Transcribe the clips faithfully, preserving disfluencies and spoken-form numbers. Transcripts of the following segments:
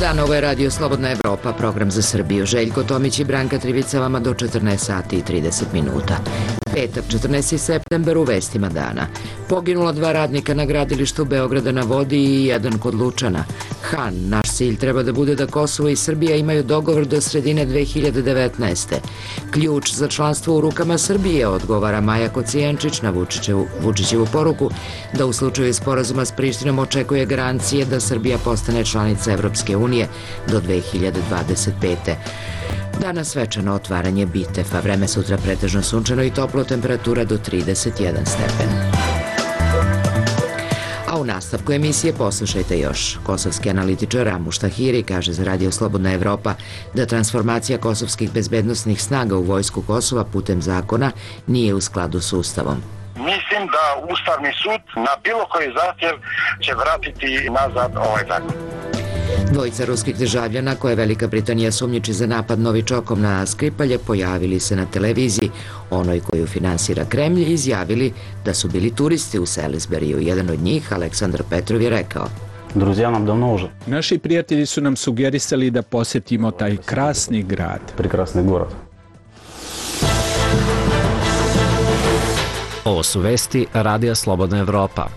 Dan, ovo je Radio Slobodna Evropa, program za Srbiju. Željko Tomić i Branka Trivica vama do četrnaest sati i trideset minuta. Petak, četrnaesti septembar, u vestima dana. Poginula dva radnika na gradilištu Beograda na vodi i jedan kod Lučana. Han, naš cilj treba da bude da Kosovo i Srbija imaju dogovor do sredine dve hiljade devetnaeste. Ključ za članstvo u rukama Srbije, odgovara Maja Kocijančić na Vučićevu, Vučićevu poruku da u slučaju sporazuma s Prištinom očekuje garancije da Srbija postane članica Evropske unije do dve hiljade dvadeset pete. Danas svečano otvaranje Bitefa, vreme sutra pretežno sunčano i toplo, temperatura do trideset jedan stepen. A u nastavku emisije poslušajte još. Kosovski analitičar Ramuš Tahiri kaže za Radio Slobodna Evropa da transformacija kosovskih bezbednosnih snaga u vojsku Kosova putem zakona nije u skladu s Ustavom. Mislim da Ustavni sud na bilo koji zahtjev će vratiti nazad ovaj zakon. Dvojica ruskih državljana koje Velika Britanija sumnjiči za napad novičokom na Skripalje pojavili se na televiziji. Onoj koju finansira Kremlj izjavili da su bili turisti u Salisburyu. Jedan od njih, Aleksandar Petrov, je rekao: Друзья нам давно уже. Naši prijatelji su nam sugerisali da posjetimo taj krasni grad. Прекрасный город. Ovo su vesti Radija Slobodna Evropa.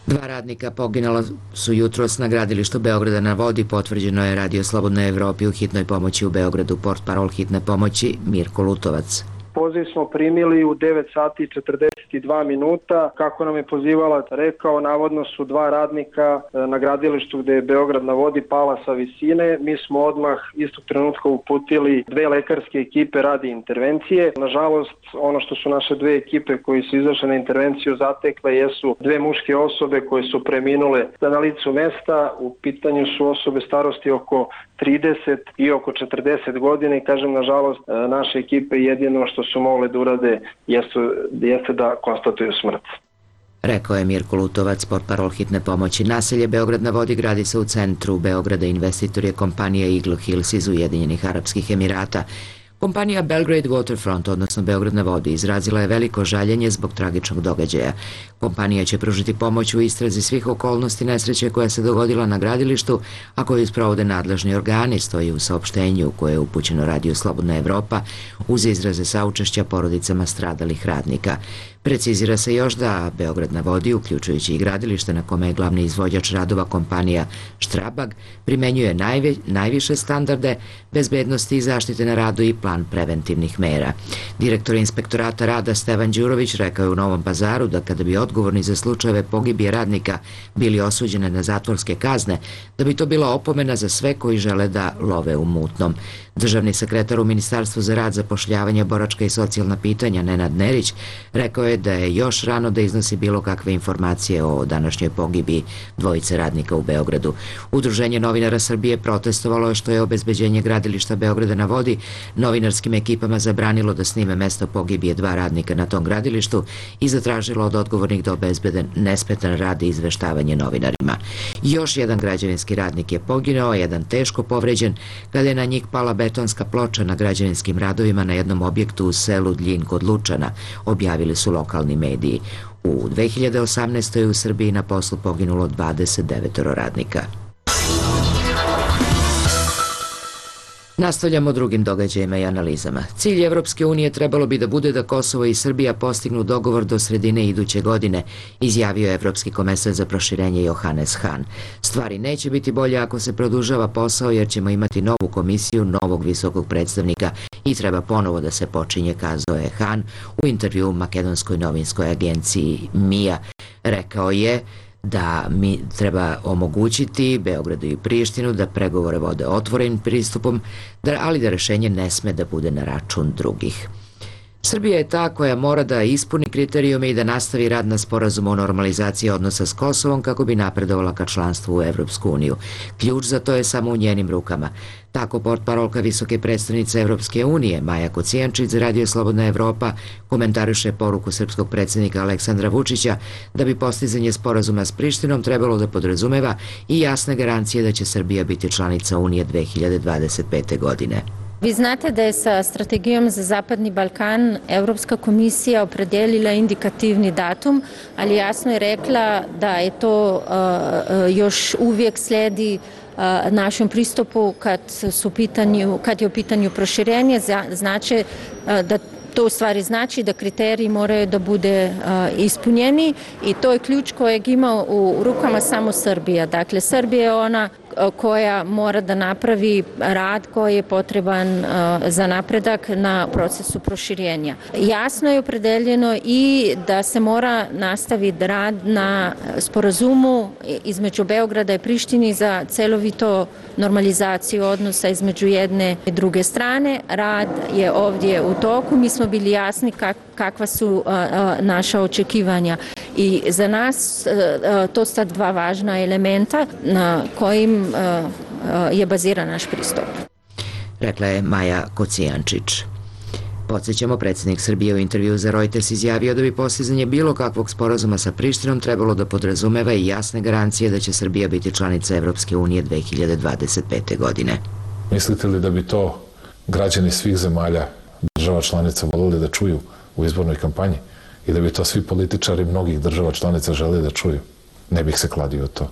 Dva radnika poginula su jutros na gradilištu Beograda na vodi, potvrđeno je Radio Slobodna Evropi u hitnoj pomoći u Beogradu. Portparol hitne pomoći Mirko Lutovac. Poziv smo primili u devet sati i četrdeset dva minuta. Kako nam je pozivalac rekao, navodno su dva radnika na gradilištu gde je Beograd na vodi pala sa visine. Mi smo odmah istog trenutka uputili dve lekarske ekipe radi intervencije. Nažalost, ono što su naše dve ekipe koji su izašle na intervenciju zatekle jesu dve muške osobe koje su preminule na licu mesta. U pitanju su osobe starosti oko trideset i oko četrdeset godina i kažem, nažalost, naše ekipe jedino što su mogle da urade jeste, jeste da konstatuju smrt. Rekao je Mirko Lutovac, portparol hitne pomoći. Naselje Beograd na vodi gradi se u centru Beograda. Investitor je kompanija Eagle Hills iz Ujedinjenih Arapskih Emirata. Kompanija Belgrade Waterfront, odnosno Beograd na vodi, izrazila je veliko žaljenje zbog tragičnog događaja. Kompanija će pružiti pomoć u istrazi svih okolnosti nesreće koja se dogodila na gradilištu, a koju sprovode nadležni organi, stoji u saopštenju koje je upućeno Radio Slobodna Evropa uz izraze saučešća porodicama stradalih radnika. Precizira se još da Beograd na vodi, uključujući i gradilište na kome je glavni izvođač radova kompanija Štrabag, primenjuje najve, najviše standarde bezbednosti i zaštite na radu i plan preventivnih mera. Direktor inspektorata rada Stevan Đurović rekao je u Novom Pazaru da kada bi odgovorni za slučajeve pogibije radnika bili osuđene na zatvorske kazne, da bi to bila opomena za sve koji žele da love u mutnom. Državni sekretar u Ministarstvu za rad, zapošljavanje, boračka i socijalna pitanja Nenad Nerić rekao je da je još rano da iznosi bilo kakve informacije o današnjoj pogibiji dvojice radnika u Beogradu. Udruženje novinara Srbije protestovalo je što je obezbeđenje gradilišta Beograda na vodi novinarskim ekipama zabranilo da snime mesto pogibije dva radnika na tom gradilištu i zatražilo od odgovornih da obezbede nesmetan rad i izveštavanje novinarima. Još jedan građevinski radnik je poginuo, jedan teško povređen kada je na njih pala betonska ploča na građevinskim radovima na jednom objektu u selu Dljin kod Lučana, objavili su lokalni mediji. U dve hiljade osamnaestoj. u Srbiji na poslu poginulo dvadeset devet radnika. Nastavljamo drugim događajima i analizama. Cilj Evropske unije trebalo bi da bude da Kosovo i Srbija postignu dogovor do sredine iduće godine, izjavio je Evropski komesar za proširenje Johannes Hahn. Stvari neće biti bolje ako se produžava posao jer ćemo imati novu komisiju, novog visokog predstavnika i treba ponovo da se počinje, kazao je Hahn u intervju u makedonskoj novinskoj agenciji M I A. Rekao je da mi treba omogućiti Beogradu i Prištinu da pregovore vode otvorenim pristupom, ali da rešenje ne sme da bude na račun drugih. Srbija je ta koja mora da ispuni kriterijume i da nastavi rad na sporazumu o normalizaciji odnosa s Kosovom kako bi napredovala ka članstvu u Evropsku uniju. Ključ za to je samo u njenim rukama. Tako portparolka visoke predstavnice Evropske unije Maja Kocijančić za Radio Slobodna Evropa komentariše poruku srpskog predsjednika Aleksandra Vučića da bi postizanje sporazuma s Prištinom trebalo da podrazumeva i jasne garancije da će Srbija biti članica Unije dve hiljade dvadeset pete. godine. Vi znate da je sa strategijom za Zapadni Balkan Evropska komisija opredelila indikativni datum, ali jasno je rekla da je to uh, još uvijek slijedi uh, našem pristupu kad, su pitanju, kad je u pitanju proširenje, znači uh, da to u stvari znači da kriteriji moraju da bude uh, ispunjeni i to je ključ kojeg ima u rukama samo Srbija. Dakle, Srbija je ona koja mora da napravi rad koji je potreban uh, za napredak na procesu proširenja. Jasno je opredeljeno i da se mora nastaviti rad na sporazumu između Beograda i Prištini za celovito normalizaciju odnosa između jedne i druge strane. Rad je ovdje u toku. Mi smo bili jasni kak, kakva su uh, uh, naša očekivanja i za nas uh, to su dva važna elementa na kojim je baziran naš pristup. Rekla je Maja Kocijančić. Podsjećamo, predsjednik Srbije u intervju za Reuters izjavio da bi postizanje bilo kakvog sporazuma sa Prištinom trebalo da podrazumeva i jasne garancije da će Srbija biti članica Evropske unije dve hiljade dvadeset pete. godine. Mislite li da bi to građani svih zemalja, država članica voljeli da čuju u izbornoj kampanji i da bi to svi političari mnogih država članica žele da čuju? Ne bih se kladio to.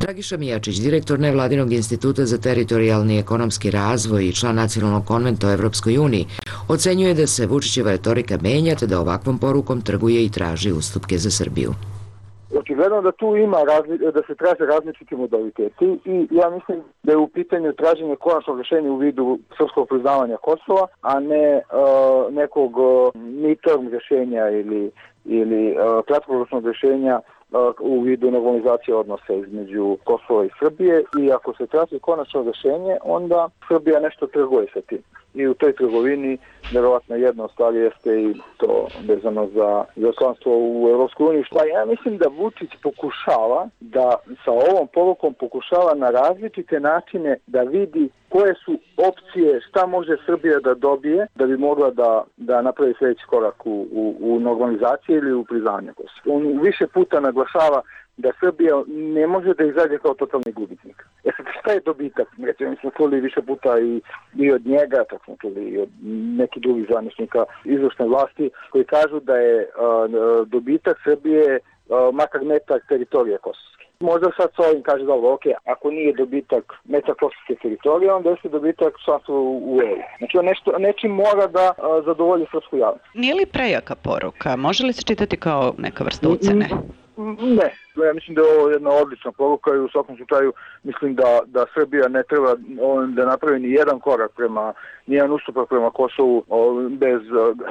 Dragiša Mijačić, direktor Nevladinog instituta za teritorijalni ekonomski razvoj i član nacionalnog konventa o Evropskoj uniji, ocenjuje da se Vučićeva retorika menja te da ovakvom porukom trguje i traži ustupke za Srbiju. Očigledno da tu ima razli, da se traže različiti modaliteti i ja mislim da je u pitanju traženje konačnog rješenja u vidu srpskog priznavanja Kosova, a ne uh, nekog uh, midterm rješenja ili, ili uh, kratkoročnog rješenja u vidu normalizacije odnosa između Kosova i Srbije i ako se traži konačno rješenje, onda Srbija nešto trguje sa tim. I u toj trgovini vjerovatno jedna od stvari jeste i to vezano za, za članstvo u Evropskoj uniji. Pa ja mislim da Vučić pokušava da sa ovom porukom pokušava na različite načine da vidi koje su opcije, šta može Srbija da dobije da bi mogla da, da napravi sljedeći korak u, u, u normalizaciji ili u priznanju Kosova. On više puta naglašava da Srbija ne može da izađe kao totalni gubitnik. E sad, šta je dobitak? Recimo, mi smo čuli više puta i, i od njega, tako smo čuli i od nekih drugih zvaničnika izvršne vlasti, koji kažu da je uh, dobitak Srbije uh, makar metak teritorije kosovske. Možda sad s ovim kaže dobro, ok, ako nije dobitak metak kosovske teritorije, onda je dobitak članstva u E U. Znači, on nešto, nečim mora da uh, zadovolji srpsku javnost. Nije li prejaka poruka? Može li se čitati kao neka vrsta ucene? Ne, ja mislim da je ovo jedna odlična poruka i u svakom slučaju mislim da, da Srbija ne treba da napravi ni jedan korak prema, ni jedan ustupak prema Kosovu bez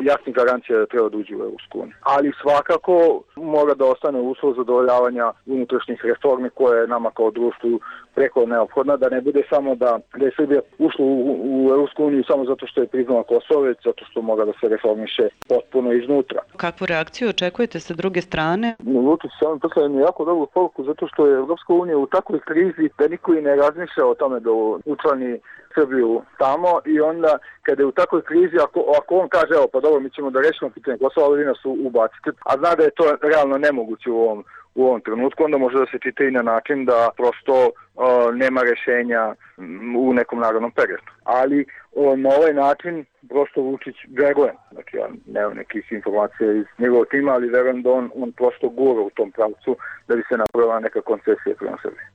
jasnih garancija da treba da uđe u Evropsku uniju. Ali svakako mora da ostane uslov zadovoljavanja unutrašnjih reformi koje je nama kao društvu preko neophodna, da ne bude samo da, da je Srbija ušla u, u Evropsku uniju samo zato što je priznala Kosovo, već zato što mora da se reformiše potpuno iznutra. Kakvu reakciju očekujete sa druge strane? Vučić sam poslao jednu jako dobru poruku zato što je Evropska unija u takvoj krizi da niko i ne razmišlja o tome da učlani Srbiju tamo i onda kada je u takvoj krizi, ako, ako on kaže evo pa dobro mi ćemo da rešimo pitanje Kosova, ali vi nas ubacite, a zna da je to realno nemoguće u ovom u ovom trenutku, onda može da se čita i na način da prosto uh, nema rješenja u nekom narednom periodu. Ali uh, na ovaj način prosto Vučić veruje. Znači ja nemam nekih informacija iz njegovog tima, ali verujem da on, on prosto gura u tom pravcu da bi se napravila neka koncesija prema Srbiji.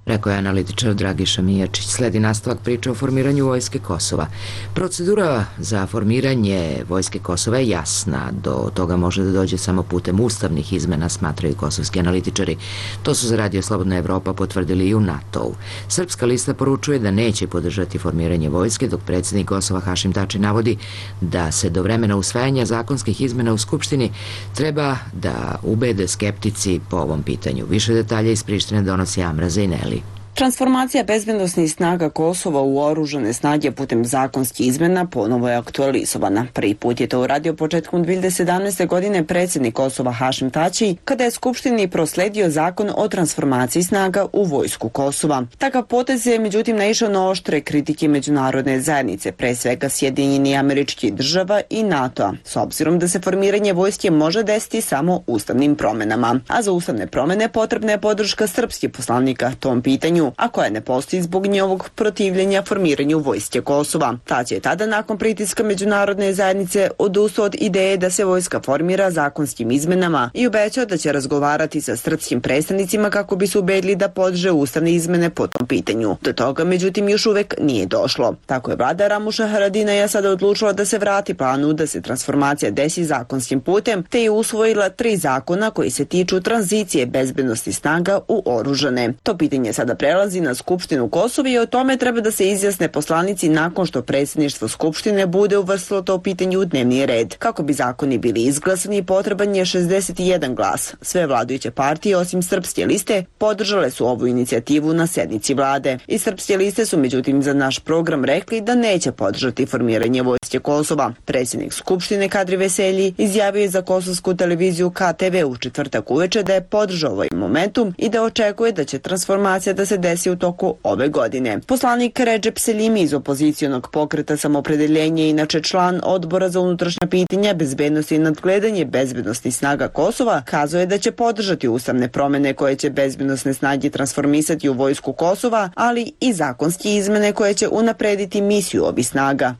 Rekao je analitičar Dragiša Mijačić. Sledi nastavak priče o formiranju Vojske Kosova. Procedura za formiranje Vojske Kosova je jasna. Do toga može da dođe samo putem ustavnih izmena, smatraju kosovski analitičari. To su za Radio Slobodna Evropa potvrdili i u NATO-u. Srpska lista poručuje da neće podržati formiranje vojske, dok predsjednik Kosova Hašim Tači navodi da se do vremena usvajanja zakonskih izmena u Skupštini treba da ubede skeptici po ovom pitanju. Više detalja iz Prištine donosi Amra Zejneli. Transformacija bezbednosnih snaga Kosova u oružane snage putem zakonskih izmena ponovo je aktualizovana. Prvi put je to uradio početkom dve hiljade sedamnaeste. godine predsjednik Kosova Hašim Tači, kada je Skupštini prosledio zakon o transformaciji snaga u vojsku Kosova. Takav potez je međutim naišao na oštre kritike međunarodne zajednice, pre svega Sjedinjenih Američkih Država i NATO-a, s obzirom da se formiranje vojske može desiti samo ustavnim promenama. A za ustavne promene potrebna je podrška srpskih poslanika tom pitanju. pitanju, a koja ne postoji zbog njegovog protivljenja formiranju vojske Kosova. Tači je tada nakon pritiska međunarodne zajednice odustao od ideje da se vojska formira zakonskim izmenama i obećao da će razgovarati sa srpskim predstavnicima kako bi se ubedili da podrže ustavne izmene po tom pitanju. Do toga, međutim, još uvek nije došlo. Tako je vlada Ramuša Haradinaja sada odlučila da se vrati planu da se transformacija desi zakonskim putem, te je usvojila tri zakona koji se tiču tranzicije bezbednosti snaga u oružane. To pitanje sada prelazi na Skupštinu Kosova i o tome treba da se izjasne poslanici nakon što predsjedništvo Skupštine bude uvrstilo to pitanje u dnevni red. Kako bi zakoni bili izglasani, potreban je šezdeset jedan glas. Sve vladajuće partije, osim Srpske liste, podržale su ovu inicijativu na sednici vlade. I Srpske liste su međutim za naš program rekli da neće podržati formiranje vojske Kosova. Predsjednik Skupštine Kadri Veselji izjavio je za kosovsku televiziju K T V u četvrtak uveče da je podržao ovaj momentum i da očekuje da će transformacija da se desi u toku ove godine. Poslanik Redžep Selimi iz opozicionog pokreta Samoopredeljenje, inače član Odbora za unutrašnja pitanja, bezbednosti i nadgledanje bezbednosnih snaga Kosova, kazao je da će podržati ustavne promene koje će bezbednosne snage transformisati u vojsku Kosova, ali i zakonske izmene koje će unaprediti misiju ovih snaga.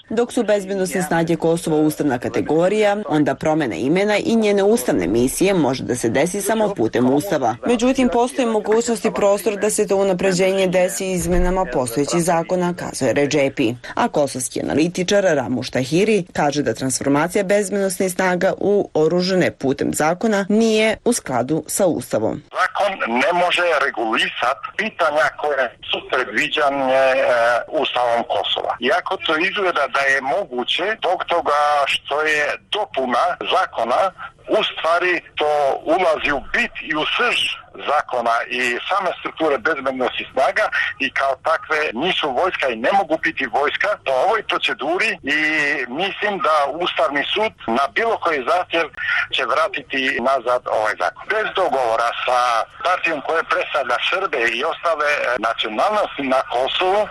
Dok su bezbednosne snage Kosova ustavna kategorija, onda promena imena i njene ustavne misije može da se desi samo putem ustava. Međutim, postoje mogućnosti prostor da se to unapređenje desi izmenama postojećih zakona, kazuje Redžepi. A kosovski analitičar Ramuš Tahiri kaže da transformacija bezbednosnih snaga u oružane putem zakona nije u skladu sa ustavom. Zakon ne može regulisati pitanja koje su predviđane e, ustavom Kosova. Iako to izgleda da je moguće, zbog toga što je dopuna zakona u stvari to ulazi u bit i u srž zakona i same strukture bezbednosti snaga i kao takve nisu vojska i ne mogu biti vojska po ovoj proceduri i mislim da Ustavni sud na bilo koji zahtjev će vratiti nazad ovaj zakon. Bez dogovora sa partijom koja predstavlja Srbe i ostale nacionalnosti na Kosovu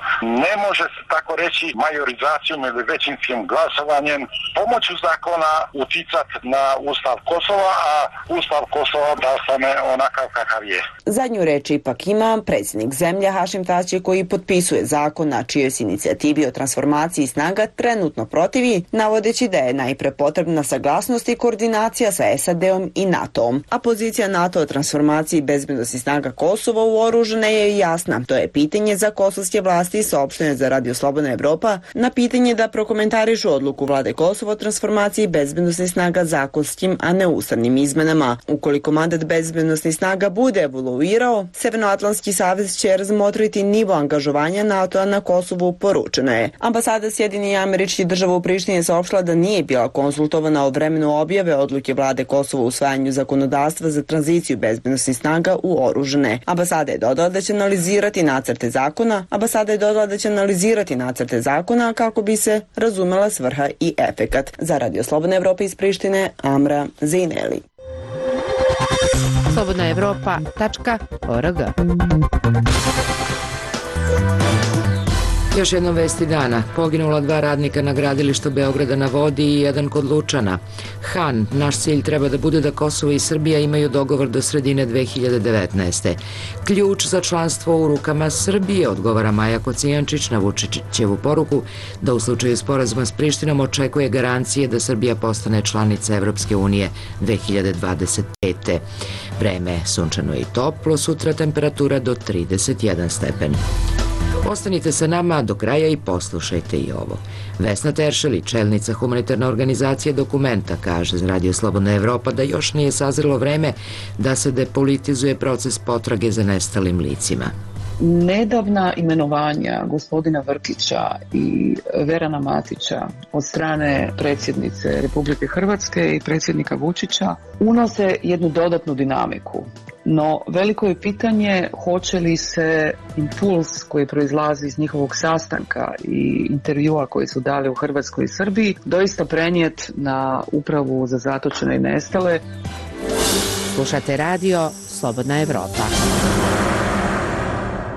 ne može se tako reći majorizacijom ili većinskim glasovanjem pomoću zakona uticati na Ustav Kosova, a Ustav Kosova da ostane onakav kakav je. Zadnju reč ipak ima predsjednik zemlje Hašim Tači koji potpisuje zakon na čijoj se inicijativi o transformaciji snaga trenutno protivi, navodeći da je najpre potrebna saglasnost i koordinacija sa S A D-om i NATO-om. A pozicija NATO o transformaciji bezbednosti snaga Kosova u oružane je jasna. To je pitanje za kosovske vlasti, saopštene za Radio Slobodna Evropa, na pitanje da prokomentarišu odluku vlade Kosova o transformaciji bezbednosnih snaga zakonskim, a ne ustavnim izmenama. Ukoliko mandat bezbednosnih snaga bude evoluirao, Severnoatlantski savez će razmotriti nivo angažovanja NATO-a na Kosovu, poručeno je. Ambasada Sjedinjenih Američkih Država u Prištini je saopštila da nije bila konsultovana o vremenu objave odluke vlade Kosova u usvajanju zakonodavstva za tranziciju bezbednosnih snaga u oružane. Ambasada je dodala da će analizirati nacrte zakona. Ambasada je dodala da će analizirati nacrte zakona kako bi se razumela svrha i efekat. Za Radio Slobodna Evropa iz Prištine, Amra Zejneli. slobodna evropa tačka org. Još jednom vesti dana. Poginula dva radnika na gradilištu Beograda na vodi i jedan kod Lučana. Han, naš cilj treba da bude da Kosovo i Srbija imaju dogovor do sredine dve hiljade devetnaeste. Ključ za članstvo u rukama Srbije, odgovara Maja Kocijančić na Vučićevu poruku da u slučaju sporazuma s Prištinom očekuje garancije da Srbija postane članica Evropske unije dve hiljade dvadeset pete. Vreme sunčano i toplo, sutra temperatura do trideset jedan stepen. Ostanite sa nama do kraja i poslušajte i ovo. Vesna Teršeli, čelnica humanitarne organizacije Dokumenta, kaže za Radio Slobodna Evropa da još nije sazrelo vreme da se depolitizuje proces potrage za nestalim licima. Nedavna imenovanja gospodina Vrkića i Verana Matića od strane predsjednice Republike Hrvatske i predsjednika Vučića unose jednu dodatnu dinamiku. No, veliko je pitanje hoće li se impuls koji proizlazi iz njihovog sastanka i intervjua koji su dali u Hrvatskoj i Srbiji doista prenijeti na Upravu za zatočene i nestale. Slušate radio Slobodna Evropa.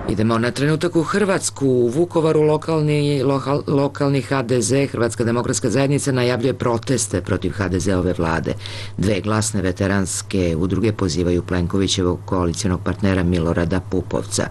Idemo na trenutak u Hrvatsku. U Vukovaru lokalni, lokal, lokalni ha de ze, Hrvatska demokratska zajednica, najavljuje proteste protiv ha de ze-ove vlade. Dve glasne veteranske udruge pozivaju Plenkovićevog koalicionog partnera Milorada Pupovca.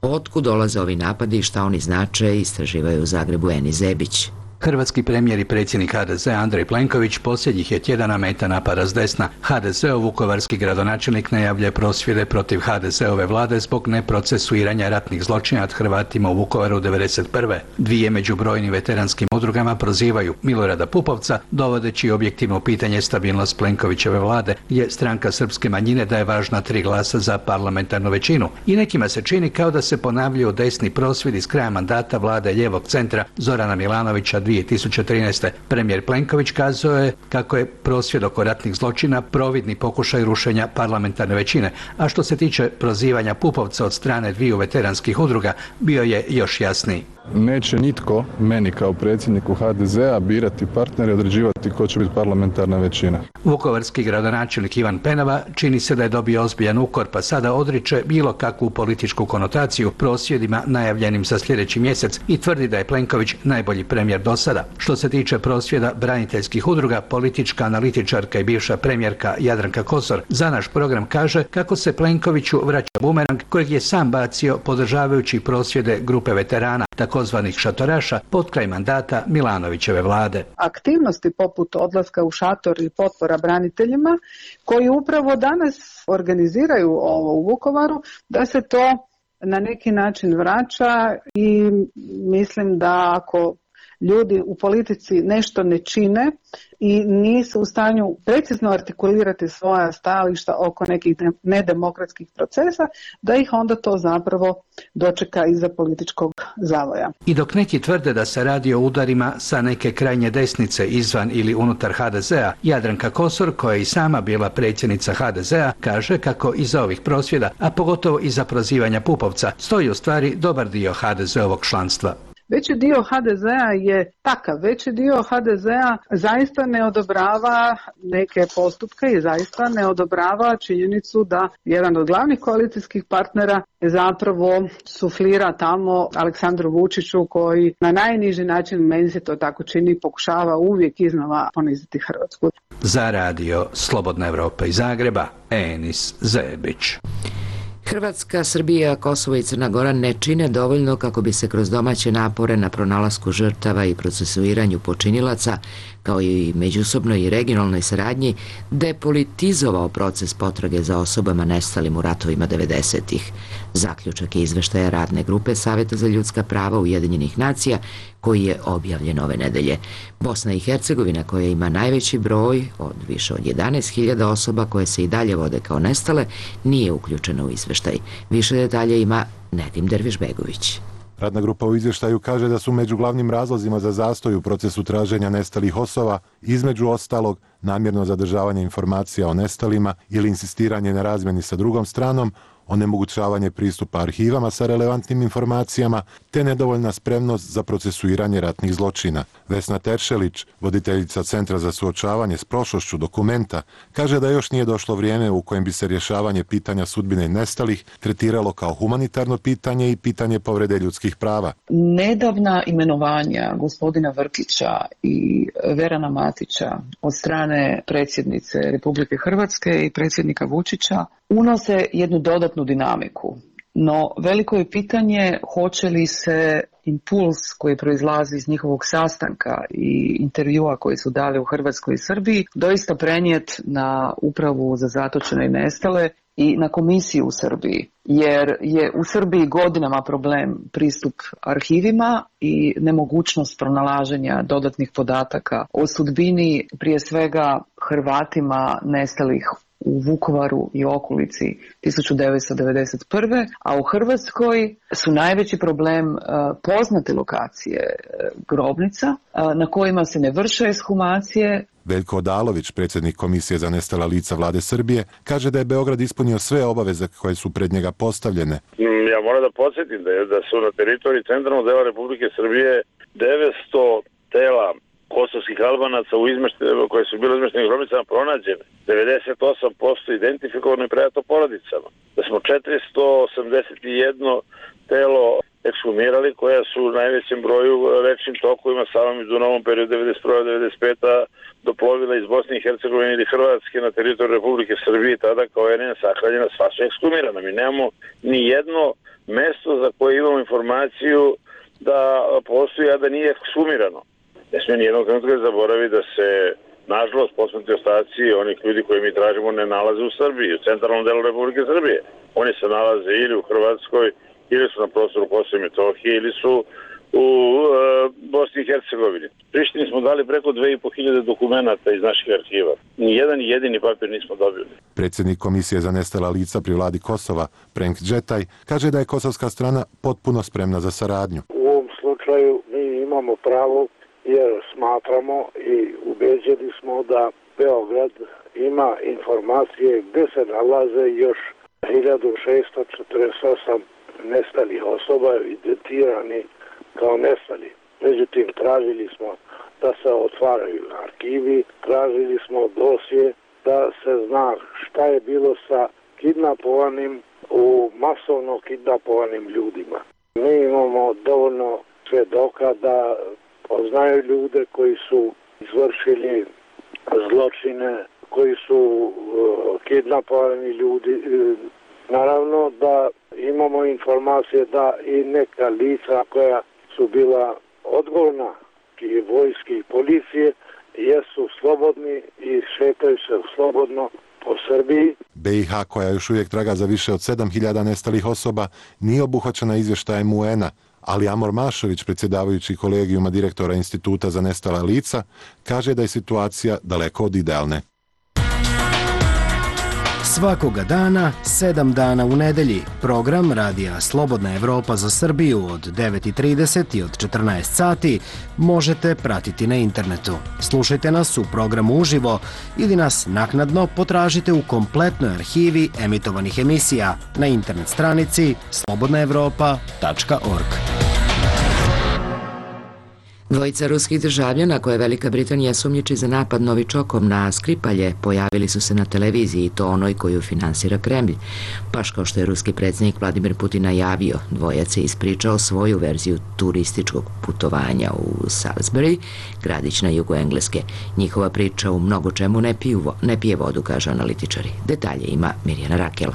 Otkud dolaze ovi napadi i šta oni znače, istraživaju u Zagrebu Eni Zebić. Hrvatski premijer i predsjednik ha de ze Andrej Plenković posljednjih je tjedana meta napada s desna. ha de ze-ov vukovarski gradonačelnik najavljuje prosvjede protiv ha de ze-ove vlade zbog neprocesuiranja ratnih zločina nad Hrvatima u Vukovaru devedeset prve. Dvije među brojnim veteranskim udrugama prozivaju Milorada Pupovca, dovodeći objektivno u pitanje stabilnost Plenkovićeve vlade, gdje stranka srpske manjine daje važna tri glasa za parlamentarnu većinu. I nekima se čini kao da se ponavljaju desni prosvjedi s kraja mandata vlade lijevog centra Zorana Milanovića dvije tisuće trinaeste. Premijer Plenković kazao je kako je prosvjed oko ratnih zločina providni pokušaj rušenja parlamentarne većine, a što se tiče prozivanja Pupovca od strane dviju veteranskih udruga, bio je još jasniji. Neće nitko meni kao predsjedniku ha de ze-a birati partnere i određivati ko će biti parlamentarna većina. Vukovarski gradonačelnik Ivan Penava čini se da je dobio ozbiljan ukor, pa sada odriče bilo kakvu političku konotaciju prosvjedima najavljenim za sljedeći mjesec i tvrdi da je Plenković najbolji premijer do sada. Što se tiče prosvjeda braniteljskih udruga, politička analitičarka i bivša premijerka Jadranka Kosor za naš program kaže kako se Plenkoviću vraća bumerang kojeg je sam bacio podržavajući prosvjede grupe veterana, takozvanih šatoraša, pod kraj mandata Milanovićeve vlade. Aktivnosti poput odlaska u šator i potpora braniteljima, koji upravo danas organiziraju ovo u Vukovaru, da se to na neki način vraća i mislim da ako ljudi u politici nešto ne čine i nisu u stanju precizno artikulirati svoja stajališta oko nekih nedemokratskih procesa, da ih onda to zapravo dočeka iza političkog zavoja. I dok neki tvrde da se radi o udarima sa neke krajnje desnice izvan ili unutar ha de ze-a, Jadranka Kosor, koja je i sama bila predsjednica ha de ze-a, kaže kako iza ovih prosvjeda, a pogotovo iza prozivanja Pupovca, stoji u stvari dobar dio ha de ze-ovog članstva. Veći dio ha de ze-a je takav, veći dio ha de ze-a zaista ne odobrava neke postupke i zaista ne odobrava činjenicu da jedan od glavnih koalicijskih partnera zapravo suflira tamo Aleksandru Vučiću koji na najniži način, meni se to tako čini, pokušava uvijek iznova poniziti Hrvatsku. Za radio Slobodna Evropa iz Zagreba, Enis Zebić. Hrvatska, Srbija, Kosovo i Crna Gora ne čine dovoljno kako bi se kroz domaće napore na pronalasku žrtava i procesuiranju počinilaca, kao i međusobnoj i regionalnoj saradnji, depolitizovao proces potrage za osobama nestalim u ratovima devedesetih. Zaključak je izveštaja radne grupe Saveta za ljudska prava Ujedinjenih nacija, koji je objavljen ove nedelje. Bosna i Hercegovina, koja ima najveći broj od više od jedanaest hiljada osoba koje se i dalje vode kao nestale, nije uključena u izveštaj. Više detalje ima Nedim Dervišbegović. Radna grupa u izvještaju kaže da su među glavnim razlozima za zastoj u procesu traženja nestalih osoba, između ostalog, namjerno zadržavanje informacija o nestalima ili insistiranje na razmjeni sa drugom stranom, onemogućavanje pristupa arhivama sa relevantnim informacijama, te nedovoljna spremnost za procesuiranje ratnih zločina. Vesna Teršelić, voditeljica Centra za suočavanje s prošlošću Dokumenta, kaže da još nije došlo vrijeme u kojem bi se rješavanje pitanja sudbine nestalih tretiralo kao humanitarno pitanje i pitanje povrede ljudskih prava. Nedavna imenovanja gospodina Vrkića i Verana Matića od strane predsjednice Republike Hrvatske i predsjednika Vučića unose jednu dodatnu dinamiku. No, veliko je pitanje hoće li se impuls koji proizlazi iz njihovog sastanka i intervjua koji su dali u Hrvatskoj i Srbiji doista prenijet na Upravu za zatočene i nestale i na komisiju u Srbiji, jer je u Srbiji godinama problem pristup arhivima i nemogućnost pronalaženja dodatnih podataka o sudbini prije svega Hrvatima nestalih u Vukovaru i okolici tisuću devetsto devedeset prve. a u Hrvatskoj su najveći problem uh, poznate lokacije uh, grobnica uh, na kojima se ne vrše ekshumacije. Veljko Odalović, predsjednik Komisije za nestala lica vlade Srbije, kaže da je Beograd ispunio sve obaveze koje su pred njega postavljene. Ja moram da podsjetim da, je, da su na teritoriji centralnog dela Republike Srbije devetsto tela kosovskih Albanaca u koje su bile izmeštene grobnicama pronađene, devedeset osam posto identifikovano i predato porodicama, da smo četiristo osamdeset jedno telo ekshumirali, koja su u najvećem broju rečnim tokovima Savom i Dunavom periodu devedeset prva do devedeset peta doplovila iz Bosne i Hercegovine ili Hrvatske na teritoriju Republike Srbije, tada kao R N sahranjena, sva su ekshumirana. Mi nemamo ni jedno mesto za koje imamo informaciju da postoji, a da nije ekshumirano. Ne smije nijednog trenutka zaboraviti da se, nažalost, posmrtni ostaci onih ljudi koje mi tražimo ne nalaze u Srbiji, u centralnom delu Republike Srbije. Oni se nalaze ili u Hrvatskoj, ili su na prostoru Kosova i Metohije, ili su u e, Bosni i Hercegovini. Prištini smo dali preko dve i po hiljade dokumenata iz naših arhiva. Nijedan jedini papir nismo dobili. Predsjednik Komisije za nestala lica pri vladi Kosova, Prenk Džetaj, kaže da je kosovska strana potpuno spremna za saradnju. U ovom slučaju mi imamo pravo jer smatramo i ubeđeni smo da Beograd ima informacije gdje se nalaze još hiljadu šessto četrdeset osam nestalih osoba evidentirani kao nestali. Međutim, tražili smo da se otvaraju arhivi, tražili smo dosje da se zna šta je bilo sa kidnapovanim, u masovno kidnapovanim ljudima. Mi imamo dovoljno svjedoka da poznaju ljude koji su izvršili zločine, koji su uh, kidnapovani ljudi. Naravno da imamo informacije da i neka lica koja su bila odgovorna i vojske i policije jesu slobodni i šetaju se slobodno po Srbiji. B i H, koja još uvijek traga za više od sedam hiljada nestalih osoba, nije obuhvaćena izvještajem U N-a, ali Amor Mašović, predsjedavajući kolegijuma direktora Instituta za nestala lica, kaže da je situacija daleko od idealne. Svakoga dana, sedam dana u nedelji, program Radija Slobodna Evropa za Srbiju od devet i trideset i od četrnaest sati možete pratiti na internetu. Slušajte nas u programu uživo ili nas naknadno potražite u kompletnoj arhivi emitovanih emisija na internet stranici slobodna evropa tačka org. Dvojica ruskih državljana koje Velika Britanija sumnjiči za napad Novičokom na Skripalje pojavili su se na televiziji, i to onoj koju finansira Kremlj. Baš kao što je ruski predsjednik Vladimir Putin najavio, dvojac je ispričao svoju verziju turističkog putovanja u Salisbury, gradić na jugu Engleske. Njihova priča u mnogo čemu ne, piju, ne pije vodu, kažu analitičari. Detalje ima Mirjana Rakela.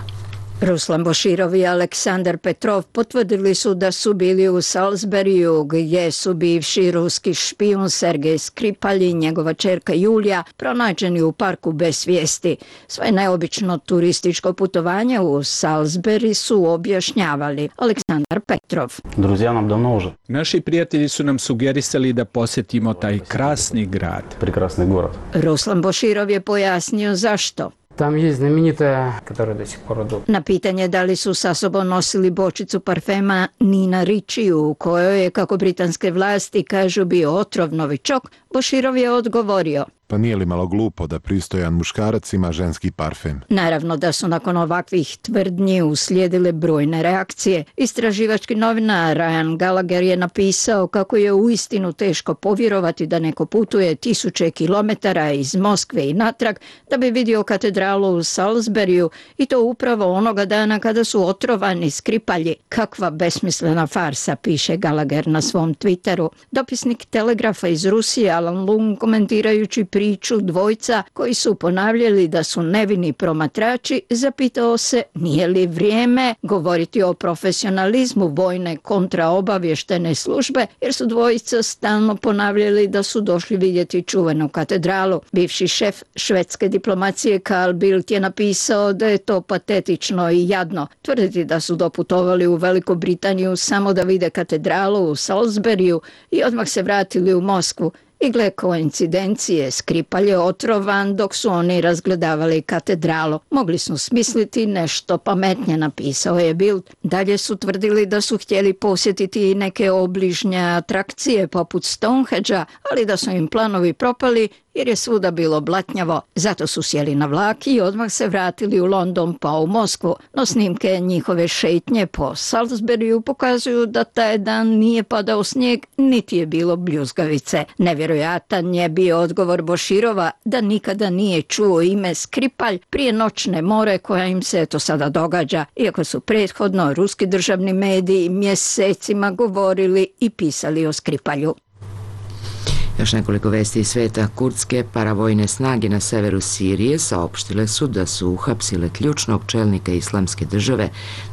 Ruslan Boširov i Aleksandar Petrov potvrdili su da su bili u Salisburyu, gdje su bivši ruski špijun Sergej Skripal i njegova ćerka Julija pronađeni u parku bez svijesti. Svoje neobično turističko putovanje u Salisbury su objašnjavali. Aleksandar Petrov. Друзья нам давно уже. Naši prijatelji su nam sugerisali da posjetimo taj krasni grad. Прекрасный город. Ruslan Boširov je pojasnio zašto. Там есть знаменитая, которая до сих пор идут. Na pitanje da li su sa sobom nosili bočicu parfema Nina Ricci, u kojoj je, kako britanske vlasti kažu, bio otrov Novičok, Boširov je odgovorio: Pa nije li malo glupo da pristojan muškarac ima ženski parfem? Naravno da su nakon ovakvih tvrdnji uslijedile brojne reakcije. Istraživački novinar Ryan Gallagher je napisao kako je uistinu teško povjerovati da neko putuje tisuće kilometara iz Moskve i natrag da bi vidio katedralu u Salisburyu, i to upravo onoga dana kada su otrovani Skripalji. Kakva besmislena farsa, piše Gallagher na svom Twitteru. Dopisnik Telegrafa iz Rusije Alan Lung, komentirajući priču dvojca koji su ponavljali da su nevini promatrači, zapitao se nije li vrijeme govoriti o profesionalizmu vojne kontraobavještene službe, jer su dvojica stalno ponavljali da su došli vidjeti čuvenu katedralu. Bivši šef švedske diplomacije Carl Bildt je napisao da je to patetično i jadno. Tvrditi da su doputovali u Veliku Britaniju samo da vide katedralu u Salisburyu i odmah se vratili u Moskvu. I gle koincidencije, Skripal je otrovan dok su oni razgledavali katedralu. Mogli su smisliti nešto pametnije, napisao je Bildt. Dalje su tvrdili da su htjeli posjetiti i neke obližnje atrakcije poput Stonehengea, ali da su im planovi propali jer je svuda bilo blatnjavo. Zato su sjeli na vlak i odmah se vratili u London pa u Moskvu. No snimke njihove šetnje po Salisburyu pokazuju da taj dan nije padao snijeg, niti je bilo bljuzgavice. Nevjerojatan je bio odgovor Boširova da nikada nije čuo ime Skripalj prije noćne more koja im se eto sada događa, iako su prethodno ruski državni mediji mjesecima govorili i pisali o Skripalju. Još nekoliko vesti iz sveta. Kurdske paravojne snage na severu Sirije saopštile su da su uhapsile ključnog čelnika islamske države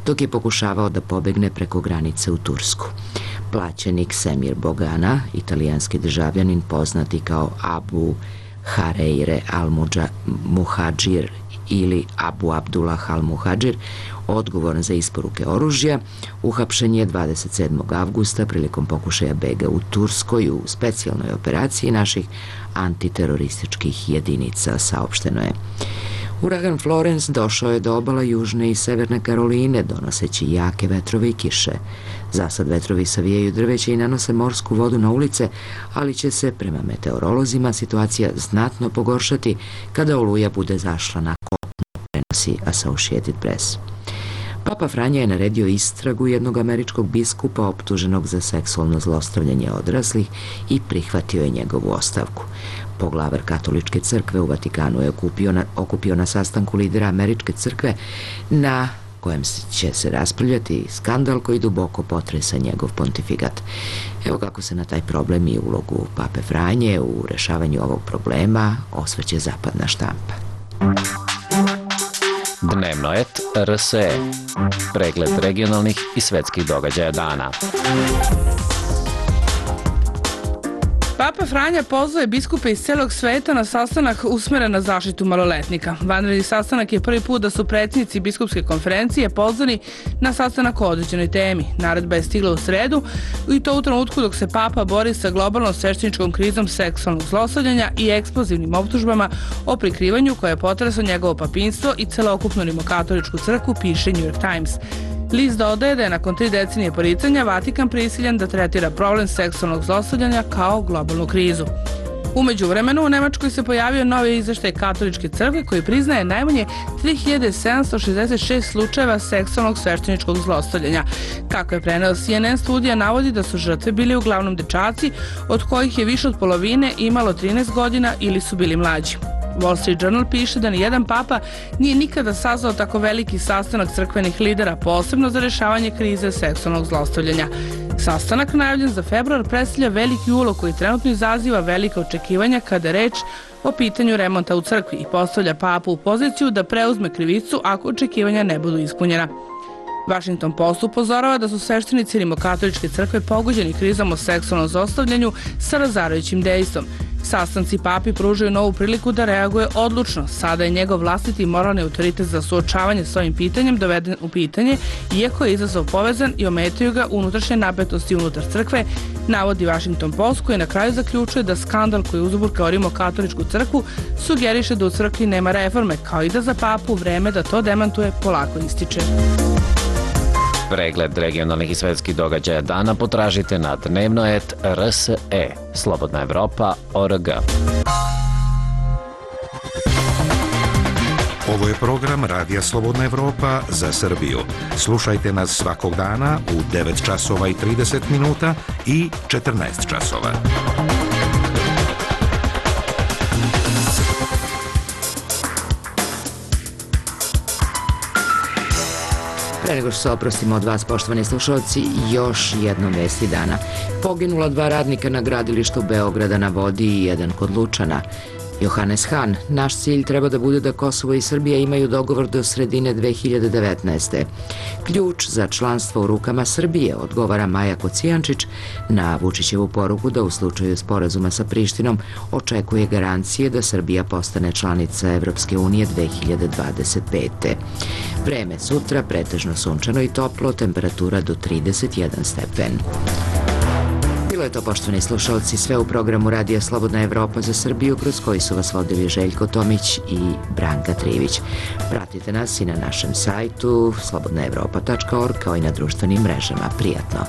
dok je pokušavao da pobegne preko granice u Tursku. Plaćenik Semir Bogana, italijanski državljanin poznati kao Abu Hareire al-Muhadžir ili Abu Abdullah al-Muhadžir, odgovoran za isporuke oružja, uhapšen je dvadeset sedmog avgusta prilikom pokušaja bega u Turskoj u specijalnoj operaciji naših antiterorističkih jedinica, saopšteno je. Uragan Florence došao je do obala Južne i Severne Karoline, donoseći jake vetrove i kiše. Zasad vetrovi savijaju drveće i nanose morsku vodu na ulice, ali će se, prema meteorolozima, situacija znatno pogoršati kada oluja bude zašla na kopnu, prenosi Associated Press. Papa Franja je naredio istragu jednog američkog biskupa optuženog za seksualno zlostavljanje odraslih i prihvatio je njegovu ostavku. Poglavar katoličke crkve u Vatikanu je okupio na, okupio na sastanku lidera američke crkve na kojem će se raspravljati skandal koji duboko potresa njegov pontifikat. Evo kako se na taj problem i ulogu Pape Franje u rešavanju ovog problema osvrće zapadna štampa. Dnevnoet R S E. Pregled regionalnih i svetskih događaja dana. Papa Franja pozvao je biskupe iz celog sveta na sastanak usmeren na zaštitu maloletnika. Vanredni sastanak je prvi put da su predsjednici biskupske konferencije pozvani na sastanak o određenoj temi. Naredba je stigla u sredu i to u trenutku dok se Papa bori sa globalnom svešteničkom krizom seksualnog zlostavljanja i eksplozivnim optužbama o prikrivanju koje je potreslo njegovo papinstvo i celokupnu rimokatoličku crkvu, piše New York Times. List dodaje da je nakon tri decenije poricanja Vatikan prisiljen da tretira problem seksualnog zlostavljanja kao globalnu krizu. U međuvremenu u Nemačkoj se pojavio novi izveštaj katoličke crkve koji priznaje najmanje tri hiljade sedamsto šezdeset šest slučajeva seksualnog svešteničkog zlostavljanja. Kako je preneo C N N, studija navodi da su žrtve bili uglavnom dečaci, od kojih je više od polovine imalo trinaest godina ili su bili mlađi. Wall Street Journal piše da nijedan papa nije nikada sazvao tako veliki sastanak crkvenih lidera, posebno za rešavanje krize seksualnog zlostavljanja. Sastanak, najavljen za februar, predstavlja veliki ulog koji trenutno izaziva velika očekivanja kada je reč o pitanju remonta u crkvi i postavlja papu u poziciju da preuzme krivicu ako očekivanja ne budu ispunjena. Washington Post upozorava da su sveštenici rimokatoličke crkve pogođeni krizom o seksualnom zlostavljanju sa razarajućim dejstvom. Sastanci papi pružaju novu priliku da reaguje odlučno. Sada je njegov vlastiti moralni autoritet za suočavanje s ovim pitanjem doveden u pitanje, iako je izazov povezan i ometaju ga unutrašnje napetosti unutar crkve, navodi Washington Post, koji na kraju zaključuje da skandal koji uzburkao rimokatoličku crkvu sugeriše da u crkvi nema reforme, kao i da za papu vreme da to demantuje polako ističe. Pregled regionalnih i svetskih događaja dana potražite na Dnevnoet R S E. Slobodna Evropa точка о р г. Ovo je program Radija Slobodna Evropa za Srbiju. Slušajte nas svakog dana u devet časova i trideset minuta i četrnaest časova. Pre nego što se oprostimo od vas, poštovani slušalci, još jednom vesti dana. Poginula dva radnika na gradilištu Beograda na vodi i jedan kod Lučana. Johannes Hahn, naš cilj treba da bude da Kosovo i Srbija imaju dogovor do sredine dve hiljade devetnaeste. Ključ za članstvo u rukama Srbije, odgovara Maja Kocijančić na Vučićevu poruku da u slučaju sporazuma sa Prištinom očekuje garancije da Srbija postane članica Evropske unije dve hiljade dvadeset pete. Vreme sutra pretežno sunčano i toplo, temperatura do trideset jedan stepen. Bilo je to, poštovani slušalci, sve u programu Radija Slobodna Evropa za Srbiju, kroz koji su vas vodili Željko Tomić i Branka Trivić. Pratite nas i na našem sajtu slobodna evropa tačka org kao i na društvenim mrežama. Prijatno!